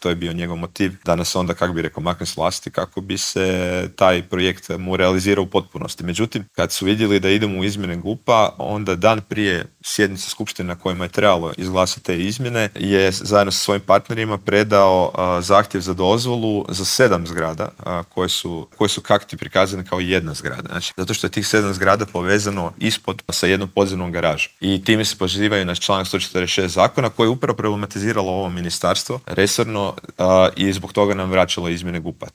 To je bio njegov motiv da nas onda, kako bi rekao, makne s vlasti kako bi se taj projekt mu realizirao u potpunosti. Međutim, kad su vidjeli da idemo u izmjene GUP-a, onda dan prije sjednice skupštine na kojima je trebalo izglasati te izmjene, je zajedno sa svojim partnerima predao zahtjev za dozvolu za 7 zgrada koje su kakti prikazane kao jedna zgrada. Znači, zato što je tih 7 zgrada povezano ispod sa jednom podzemnom garažom. I time se pozivaju na članak 146 zakona koji je upravo problematiziralo ovo ministarstvo resorno i zbog toga nam vraćalo izmjene GUP-a.